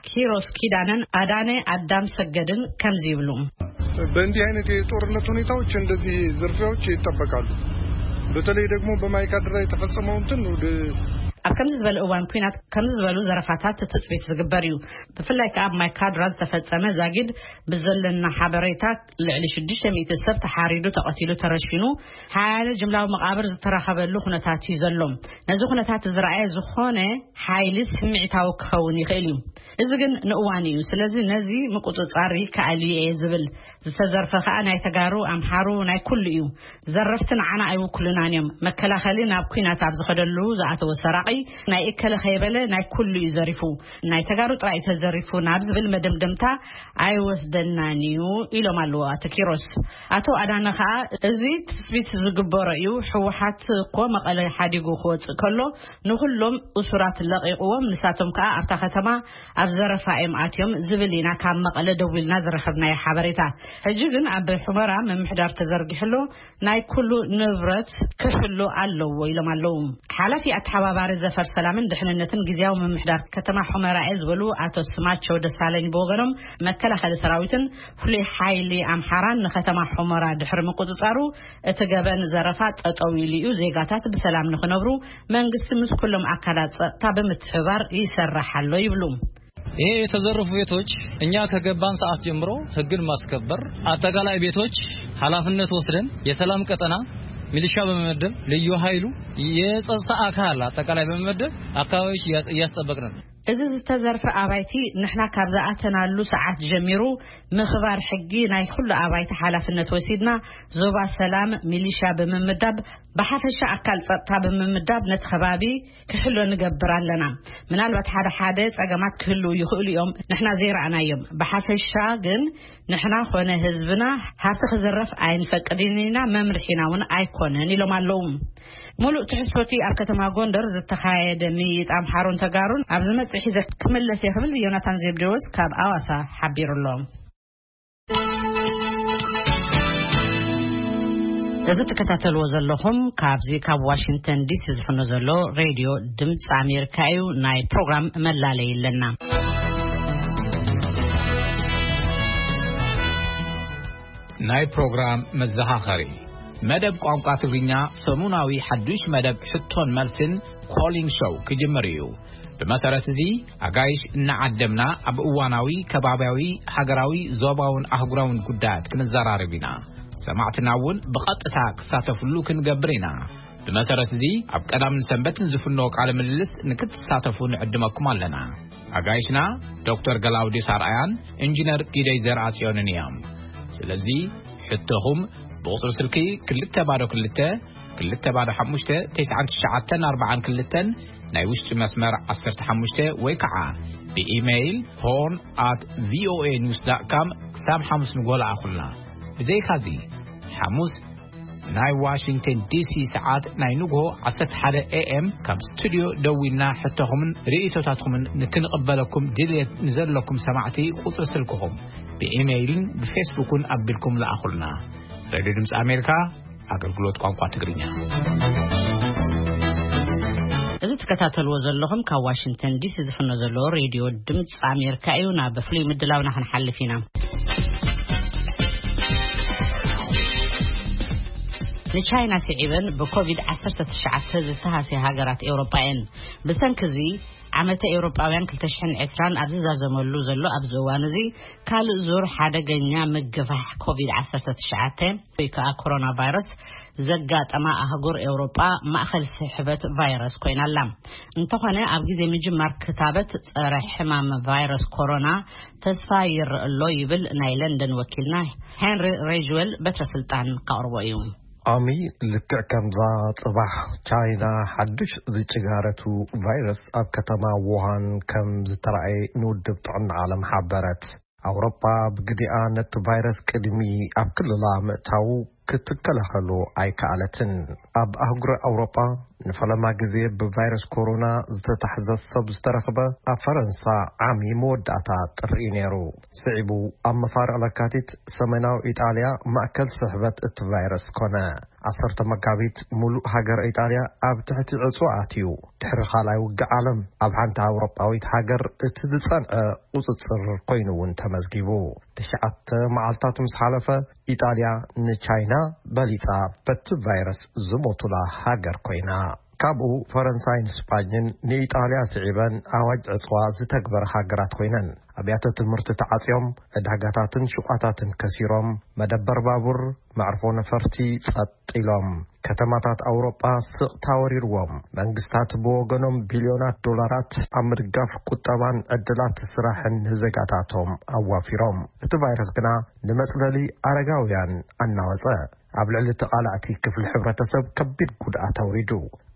ኪሮስ ኪዳነን ኣዳነ ኣዳም ሰገድን ከምዚ ይብሉ። በእንዲህ አይነት የጦርነት ሁኔታዎች እንደዚህ ዝርፊያዎች ይጠበቃሉ። በተለይ ደግሞ በማይካድራ የተፈጸመው እንትን ወደ ኣብ ከምዚ ዝበለ እዋን ኲናት ከምዚ ዝበሉ ዘረፋታት ትጽቢት ዝግበር እዩ። ብፍላይ ከኣ ኣብ ማይካድራ ዝተፈጸመ ዛጊድ ብዘለና ሓበሬታ ልዕሊ ሽዱሽተ ሚእቲ ሰብ ተሓሪዱ፣ ተቐቲሉ፣ ተረሺኑ፣ ሓያለ ጅምላዊ መቓብር ዝተረኸበሉ ኩነታት እዩ ዘሎ። ነዚ ኩነታት ዝረኣየ ዝኾነ ሓይሊ ስምዒታዊ ክኸውን ይኽእል እዩ። እዚ ግን ንእዋን እዩ። ስለዚ ነዚ ምቁጽጻር ይከኣል እዩ እየ ዝብል። ዝተዘርፈ ከኣ ናይ ተጋሩ፣ ኣምሓሩ፣ ናይ ኩሉ እዩ። ዘረፍቲ ንዓና ኣይውክሉናን እዮም። መከላኸሊ ናብ ኲናት ኣብ ዝኸደሉ ዝኣተወ ሰራቒ ናይ እከለ ከይበለ ናይ ኩሉ እዩ ዘሪፉ፣ ናይ ተጋሩ ጥራይ እዩ ተዘሪፉ ናብ ዝብል መደምደምታ ኣይወስደናን እዩ ኢሎም ኣለዉ ኣቶ ኪሮስ። ኣቶ ኣዳነ ከዓ እዚ ትስቢት ዝግበሮ እዩ፣ ህወሓት እኮ መቐለ ሓዲጉ ክወፅእ ከሎ ንኩሎም እሱራት ለቂቕዎም፣ ንሳቶም ከዓ ኣብታ ከተማ ኣብ ዘረፋ እዮም ኣትዮም ዝብል ኢና ካብ መቐለ ደዊልና ዝረኸብናዮ ሓበሬታ። ሕጂ ግን ኣብ ሑመራ ምምሕዳር ተዘርጊሕሎ ናይ ኩሉ ንብረት ክሕሉ ኣለዎ ኢሎም ኣለዉ። ሓላፊ ኣተሓባባሪ ዘፈር ሰላምን ድሕንነትን ግዝያዊ ምምሕዳር ከተማ ሑመራ እየ ዝበሉ ኣቶ ስማቸው ደሳለኝ ብወገኖም፣ መከላኸሊ ሰራዊትን ፍሉይ ሓይሊ ኣምሓራን ንከተማ ሑመራ ድሕሪ ምቁፅፃሩ እቲ ገበን ዘረፋ ጠጠው ኢሉ እዩ፣ ዜጋታት ብሰላም ንክነብሩ መንግስቲ ምስ ኩሎም ኣካላት ፀጥታ ብምትሕባር ይሰርሕ ኣሎ ይብሉ። ይሄ የተዘረፉ ቤቶች እኛ ከገባን ሰዓት ጀምሮ ህግን ማስከበር፣ አጠቃላይ ቤቶች ኃላፊነት ወስደን የሰላም ቀጠና ሚሊሻ በመመደብ ልዩ ኃይሉ የጸጥታ አካል አጠቃላይ በመመደብ አካባቢዎች እያ- እያስጠበቅን ነው። እዚ ዝተዘርፈ ኣባይቲ ንሕና ካብ ዝኣተናሉ ሰዓት ጀሚሩ ምኽባር ሕጊ ናይ ኩሉ ኣባይቲ ሓላፍነት ወሲድና ዞባ ሰላም ሚሊሻ ብምምዳብ ብሓፈሻ ኣካል ጸጥታ ብምምዳብ ነቲ ከባቢ ክሕሎ ንገብር ኣለና። ምናልባት ሓደ ሓደ ጸገማት ክህልዉ ይኽእሉ እዮም፣ ንሕና ዘይረኣናዮም። ብሓፈሻ ግን ንሕና ኾነ ህዝብና ሃብቲ ክዝረፍ ኣይንፈቅድን ኢና፣ መምርሒና እውን ኣይኮነን ኢሎም ኣለዉ። ሙሉእ ትሕዝቶቲ ኣብ ከተማ ጎንደር ዝተኻየደ ምይይጥ ኣምሓሩን ተጋሩን ኣብ ዝመጽእ ሒዘ ክምለስ እየ ክብል ዮናታን ዜብዴዎስ ካብ ኣዋሳ ሓቢሩ ኣሎ። እዚ ትከታተልዎ ዘለኹም ካብዚ ካብ ዋሽንግተን ዲሲ ዝፍኖ ዘሎ ሬድዮ ድምፂ ኣሜሪካ እዩ። ናይ ፕሮግራም መላለይ ኣለና። ናይ ፕሮግራም መዘኻኸሪ መደብ ቋንቋ ትግርኛ ሰሙናዊ ሓዱሽ መደብ ሕቶን መልስን ኮሊንግ ሾው ክጅምር እዩ። ብመሰረት እዚ ኣጋይሽ እናዓደምና ኣብ እዋናዊ ከባብያዊ ሃገራዊ ዞባውን ኣህጉራውን ጉዳያት ክንዘራረብ ኢና። ሰማዕትና እውን ብቐጥታ ክሳተፍሉ ክንገብር ኢና። ብመሰረት እዚ ኣብ ቀዳምን ሰንበትን ዝፍኖ ቃለ ምልልስ ንክትሳተፉ ንዕድመኩም ኣለና። ኣጋይሽና ዶክተር ገላውዲስ ኣርኣያን ኢንጂነር ጊደይ ዘርኣጽዮንን እዮም። ስለዚ ሕቶኹም ብቑጽሪ ስልኪ ክልተ ባዶ ክልተ ክልተ ባዶ ሓሙሽተ ተስዓን ትሽዓተን ኣርባዓን ክልተን ናይ ውሽጢ መስመር ዓሰርተ ሓሙሽተ ወይ ከዓ ብኢሜይል ሆርን ኣት ቪኦኤ ኒውስ ዳት ካም ክሳብ ሓሙስ ንጎ ለኣኹልና። ብዘይካዚ ሓሙስ ናይ ዋሽንግተን ዲሲ ሰዓት ናይ ንግሆ ዓሰርተ ሓደ ኤ ኤም ካብ ስቱድዮ ደዊልና ሕቶኹምን ርእይቶታትኩምን ንክንቕበለኩም ድልየት ንዘለኩም ሰማዕቲ ቁጽሪ ስልክኹም ብኢሜይልን ብፌስቡክን ኣቢልኩም ለኣኹልና። ሬድዮ ድምፂ ኣሜሪካ ኣገልግሎት ቋንቋ ትግርኛ። እዚ ትከታተልዎ ዘለኹም ካብ ዋሽንግተን ዲሲ ዝፍኖ ዘሎ ሬድዮ ድምፂ ኣሜሪካ እዩ። ናብ ፍሉይ ምድላውና ክንሓልፍ ኢና። ንቻይና ስዒበን ብኮቪድ ዓሰርተ ትሽዓተ ዝተሃስያ ሃገራት ኤውሮጳ እየን። ብሰንኪ እዚ ዓመተ ኤውሮጳውያን ክልተ ሽሕን ዕስራን ኣብ ዝዛዘመሉ ዘሎ ኣብዚ እዋን እዚ ካልእ ዙር ሓደገኛ ምግፋሕ ኮቪድ ዓሰርተ ትሽዓተ ወይ ከዓ ኮሮና ቫይረስ ዘጋጠማ ኣህጉር ኤውሮጳ ማእኸል ስሕበት ቫይረስ ኮይና ኣላ። እንተኾነ ኣብ ግዜ ምጅማር ክታበት ጸረ ሕማም ቫይረስ ኮሮና ተስፋ ይረአ ኣሎ ይብል ናይ ለንደን ወኪልና ሄንሪ ሬጅዌል በትረ ስልጣን ካቕርቦ እዩ። ኣሚ ልክዕ ከምዛ ጽባሕ ቻይና ሓድሽ ዝጭጋረቱ ቫይረስ ኣብ ከተማ ውሃን ከም ዝተራእየ ንውድብ ጥዕና ዓለም ሓበረት። ኣውሮጳ ብግዲኣ ነቲ ቫይረስ ቅድሚ ኣብ ክልላ ምእታዉ ክትከላኸሎ ኣይከኣለትን። ኣብ ኣህጉረ ኣውሮጳ ንፈለማ ግዜ ብቫይረስ ኮሮና ዝተታሕዘ ሰብ ዝተረኽበ ኣብ ፈረንሳ ዓሚ መወዳእታ ጥሪ እዩ ነይሩ። ስዒቡ ኣብ መፋርቕ ለካቲት ሰሜናዊ ኢጣልያ ማእከል ስሕበት እቲ ቫይረስ ኮነ። ዓሰርተ መጋቢት ሙሉእ ሃገር ኢጣልያ ኣብ ትሕቲ ዕጽዋ ኣትዩ። ድሕሪ ካልኣይ ውግእ ዓለም ኣብ ሓንቲ ኣውሮጳዊት ሃገር እቲ ዝጸንዐ ቁጽጽር ኮይኑ እውን ተመዝጊቡ። ትሽዓተ መዓልታት ምስ ሓለፈ ኢጣልያ ንቻይና በሊጻ በቲ ቫይረስ ዝሞቱላ ሃገር ኮይና። ካብኡ ፈረንሳይን ስጳኝን ንኢጣልያ ስዒበን ኣዋጅ ዕጽዋ ዝተግበረ ሃገራት ኮይነን። ኣብያተ ትምህርቲ ተዓጽዮም፣ ዕዳጋታትን ሹቓታትን ከሲሮም፣ መደበር ባቡር፣ መዕርፎ ነፈርቲ ጸጥ ኢሎም። ከተማታት ኣውሮጳ ስቕታ ወሪርዎም። መንግስታት ብወገኖም ቢልዮናት ዶላራት ኣብ ምድጋፍ ቁጠባን ዕድላት ስራሕን ንዜጋታቶም ኣዋፊሮም። እቲ ቫይረስ ግና ንመጽለሊ ኣረጋውያን ኣናወጸ። ኣብ ልዕሊ ተቓላዕቲ ክፍሊ ሕብረተሰብ ከቢድ ጉድኣት ኣውሪዱ።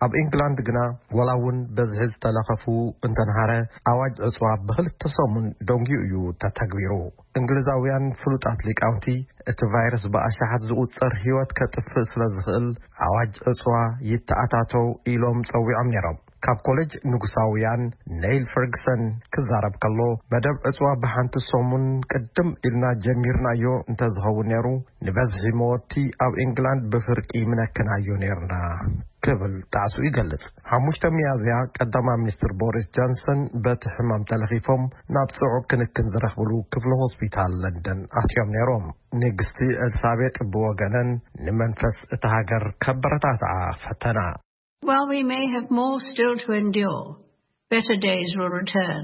ኣብ ኢንግላንድ ግና፣ ወላ እውን በዝሒ ዝተለኸፉ እንተንሃረ፣ ኣዋጅ ዕጽዋ ብኽልተ ሰሙን ደንጊዩ እዩ ተተግቢሩ። እንግሊዛውያን ፍሉጣት ሊቃውንቲ፣ እቲ ቫይረስ ብኣሽሓት ዝቑጸር ህይወት ከጥፍእ ስለ ዝኽእል፣ ኣዋጅ ዕጽዋ ይተኣታተው ኢሎም ጸዊዖም ነይሮም። ካብ ኮሌጅ ንጉሳውያን ኔይል ፈርግሰን ክዛረብ ከሎ፣ መደብ ዕጽዋ ብሓንቲ ሰሙን ቅድም ኢልና ጀሚርናዮ እንተዝኸውን ነይሩ፣ ንበዝሒ መወቲ ኣብ ኢንግላንድ ብፍርቂ ምነክናዮ ነይርና ክብል ጣዕሱ ይገልጽ። ሓሙሽተ ሚያዝያ፣ ቀዳማይ ሚኒስትር ቦሪስ ጆንሰን በቲ ሕማም ተለኺፎም ናብ ጽዑቕ ክንክን ዝረኽብሉ ክፍሊ ሆስፒታል ለንደን ኣትዮም ነይሮም። ንግስቲ ኤልሳቤጥ ብወገነን ንመንፈስ እታ ሃገር ከበረታትዓ ፈተና። While we may have more still to endure, better days will return.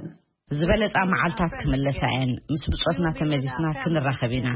ዝበለጻ መዓልታት ክምለሳ እየን። ምስ ብጾትና ተመሊስና ክንራኸብ ኢና።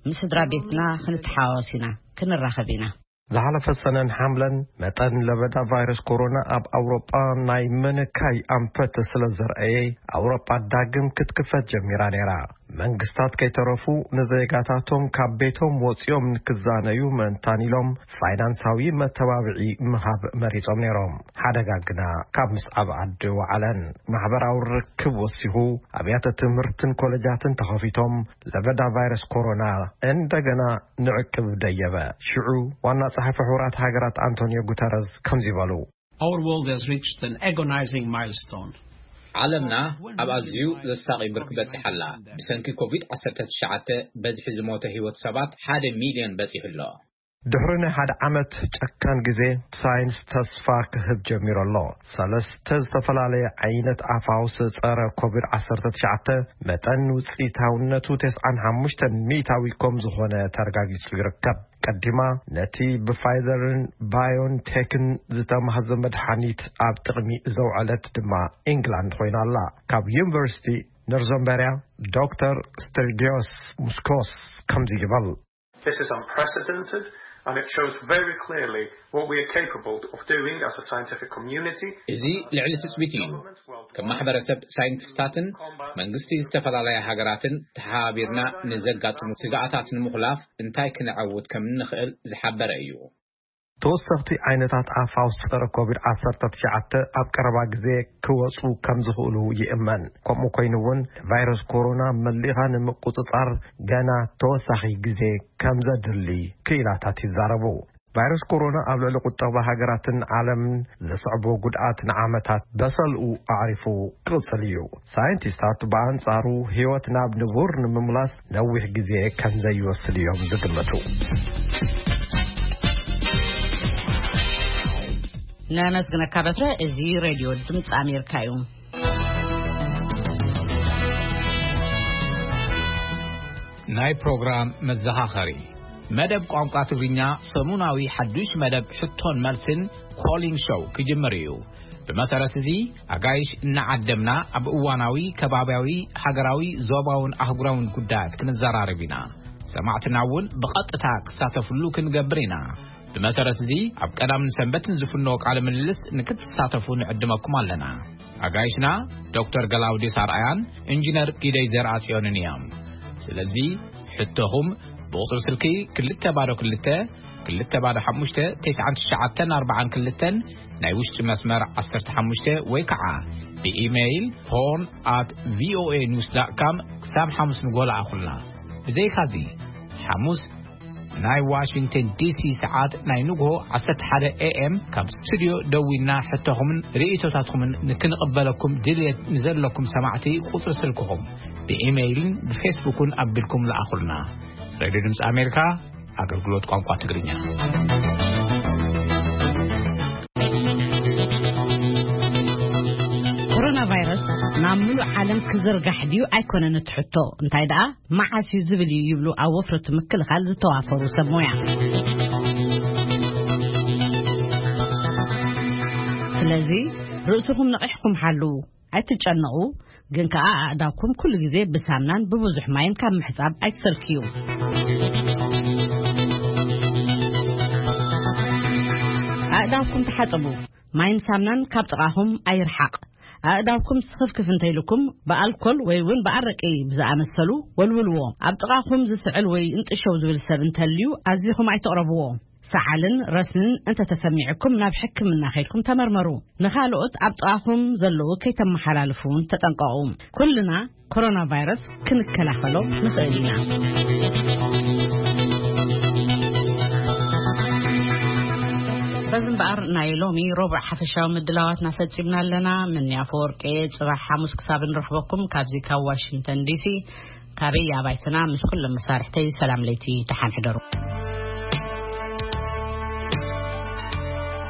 ምስ ስድራ ቤትና ክንተሓዋወስ ኢና። ክንራኸብ ኢና። ዝሓለፈ ሰነን ሓምለን መጠን ለበዳ ቫይረስ ኮሮና ኣብ ኣውሮጳ ናይ ምንካይ ኣንፈት ስለ ዘርኣየ፣ ኣውሮጳ ዳግም ክትክፈት ጀሚራ ነይራ። መንግስታት ከይተረፉ ንዜጋታቶም ካብ ቤቶም ወጺኦም ንክዛነዩ ምእንታን ኢሎም ፋይናንሳዊ መተባብዒ ምሃብ መሪጾም ነይሮም። ሓደጋ ግና ካብ ምስዓብ ዓዲ ወዓለን። ማሕበራዊ ርክብ ወሲኹ፣ ኣብያተ ትምህርትን ኮለጃትን ተኸፊቶም፣ ለበዳ ቫይረስ ኮሮና እንደገና ንዕቅብ ደየበ። ሽዑ ዋና ጸሓፊ ሕቡራት ሃገራት ኣንቶኒዮ ጉተረዝ ከምዚ በሉ። Our world has reached an agonizing milestone. ዓለምና ኣብ ኣዝዩ ዘሳቒ ብርኪ በጺሓ ኣላ። ብሰንኪ ኮቪድ ዓሰርተ ትሽዓተ በዝሒ ዝሞተ ህይወት ሰባት ሓደ ሚልዮን በጺሑ ኣሎ። ድሕሪ ናይ ሓደ ዓመት ጨካን ግዜ፣ ሳይንስ ተስፋ ክህብ ጀሚሩ ኣሎ። ሰለስተ ዝተፈላለየ ዓይነት ኣፋውስ ጸረ ኮቪድ ዓሰርተ ትሽዓተ መጠን ውጽኢታውነቱ ተስዓን ሓሙሽተን ሚእታዊ ከም ዝኾነ ተረጋጊጹ ይርከብ። ቀዲማ ነቲ ብፋይዘርን ባዮንቴክን ዝተማህዘ መድሓኒት ኣብ ጥቕሚ ዘውዐለት ድማ ኢንግላንድ ኮይና ኣላ። ካብ ዩኒቨርሲቲ ኖርዘምበርያ ዶክተር ስተርጊዮስ ሙስኮስ ከምዚ ይበል። This is unprecedented, and it shows very clearly what we are capable of doing as a scientific community. እዚ ልዕሊ ትጽቢት እዩ። ከም ማሕበረሰብ ሳይንቲስታትን መንግስቲ ዝተፈላለያ ሃገራትን ተሓባቢርና ንዘጋጥሙ ስግኣታት ንምኹላፍ እንታይ ክነዐውት ከም እንኽእል ዝሓበረ እዩ። ተወሰኽቲ ዓይነታት ኣፋውስ ጸረ ኮቪድ ዓሰርተ ትሽዓተ ኣብ ቀረባ ግዜ ክወጹ ከም ዝኽእሉ ይእመን። ከምኡ ኮይኑ እውን ቫይረስ ኮሮና መሊኻ ንምቁጽጻር ገና ተወሳኺ ግዜ ከም ዘድሊ ክኢላታት ይዛረቡ። ቫይረስ ኮሮና ኣብ ልዕሊ ቁጠባ ሃገራትን ዓለምን ዘስዕቦ ጉድኣት ንዓመታት በሰልኡ ኣዕሪፉ ክቕጽል እዩ። ሳይንቲስታት ብኣንጻሩ ህይወት ናብ ንቡር ንምምላስ ነዊሕ ግዜ ከም ዘይወስድ እዮም ዝግምቱ። ነመስግነካ በትረ። እዚ ሬድዮ ድምፂ ኣሜሪካ እዩ። ናይ ፕሮግራም መዘኻኸሪ። መደብ ቋንቋ ትግርኛ ሰሙናዊ ሓዱሽ መደብ ሕቶን መልስን ኮሊን ሾው ክጅምር እዩ። ብመሰረት እዚ፣ ኣጋይሽ እናዓደምና ኣብ እዋናዊ፣ ከባብያዊ፣ ሃገራዊ፣ ዞባውን ኣህጉራውን ጉዳያት ክንዘራረብ ኢና። ሰማዕትና እውን ብቐጥታ ክሳተፍሉ ክንገብር ኢና። ብመሰረት እዚ፣ ኣብ ቀዳምን ሰንበትን ዝፍኖ ቃለ ምልልስ ንክትሳተፉ ንዕድመኩም ኣለና። ኣጋይሽና ዶክተር ገላውዴስ ኣርኣያን ኢንጂነር ጊደይ ዘርኣጽዮንን እዮም። ስለዚ፣ ሕቶኹም ብቑጽሪ ስልኪ ክልተ ባዶ ክልተ፣ ክልተ ባዶ ሓሙሽተ፣ ተስዓን ትሽዓተን ኣርባዓን ክልተን፣ ናይ ውሽጢ መስመር ዓሰርተ ሓሙሽተ፣ ወይ ከዓ ብኢሜይል ሆርን ኣት ቪኦኤ ኒውስ ዳት ካም ክሳብ ሓሙስ ንግሆ ለኣኹልና። ብዘይካዚ፣ ሓሙስ ናይ ዋሽንግተን ዲሲ ሰዓት ናይ ንግሆ ዓሰርተ ሓደ ኤ ኤም ካብ ስቱድዮ ደዊልና ሕቶኹምን ርእይቶታትኩምን ንክንቕበለኩም ድልየት ንዘለኩም ሰማዕቲ ቁጽሪ ስልክኹም ብኢሜይልን ብፌስቡክን ኣቢልኩም ለኣኹልና። ሬድዮ ድምፂ ኣሜሪካ፣ ኣገልግሎት ቋንቋ ትግርኛ። ኮሮና ቫይረስ ናብ ምሉእ ዓለም ክዝርጋሕ ድዩ ኣይኮነን እቲ ሕቶ፣ እንታይ ደኣ መዓስ እዩ ዝብል እዩ ይብሉ ኣብ ወፍሪ ምክልኻል ዝተዋፈሩ ሰብ ሞያ። ስለዚ ርእስኹም ነቒሕኩም ሓልዉ፣ ኣይትጨነቑ፣ ግን ከኣ ኣእዳውኩም ኩሉ ግዜ ብሳምናን ብብዙሕ ማይን ካብ ምሕጻብ ኣይትሰልክዩ። ኣእዳውኩም ተሓጸቡ፣ ማይን ሳምናን ካብ ጥቓኹም ኣይርሓቕ። ኣእዳውኩም ስኽፍክፍ እንተይልኩም፣ ብኣልኮል ወይ እውን ብኣረቂ ብዝኣመሰሉ ወልውልዎ። ኣብ ጥቓኹም ዝስዕል ወይ እንጥሸው ዝብል ሰብ እንተልዩ፣ ኣዚኹም ኣይተቕረብዎ። ሰዓልን ረስንን እንተተሰሚዕኩም፣ ናብ ሕክምና ከይድኩም ተመርመሩ። ንኻልኦት ኣብ ጥቓኹም ዘለዉ ከይተመሓላልፉ እውን ተጠንቀቑ። ኩልና ኮሮና ቫይረስ ክንከላኸሎ ንኽእል ኢና። በዚ እምበኣር፣ ናይ ሎሚ ሮብዕ ሓፈሻዊ ምድላዋትና ፈጺምና ኣለና። ምንያ ኣፈወርቂ፣ ጽባሕ ሓሙስ ክሳብ ንረኽበኩም፣ ካብዚ ካብ ዋሽንግተን ዲሲ፣ ካበይ ኣባይትና፣ ምስ ኩሎም መሳርሕተይ ሰላም ለይቲ፣ ደሓን ሕደሩ።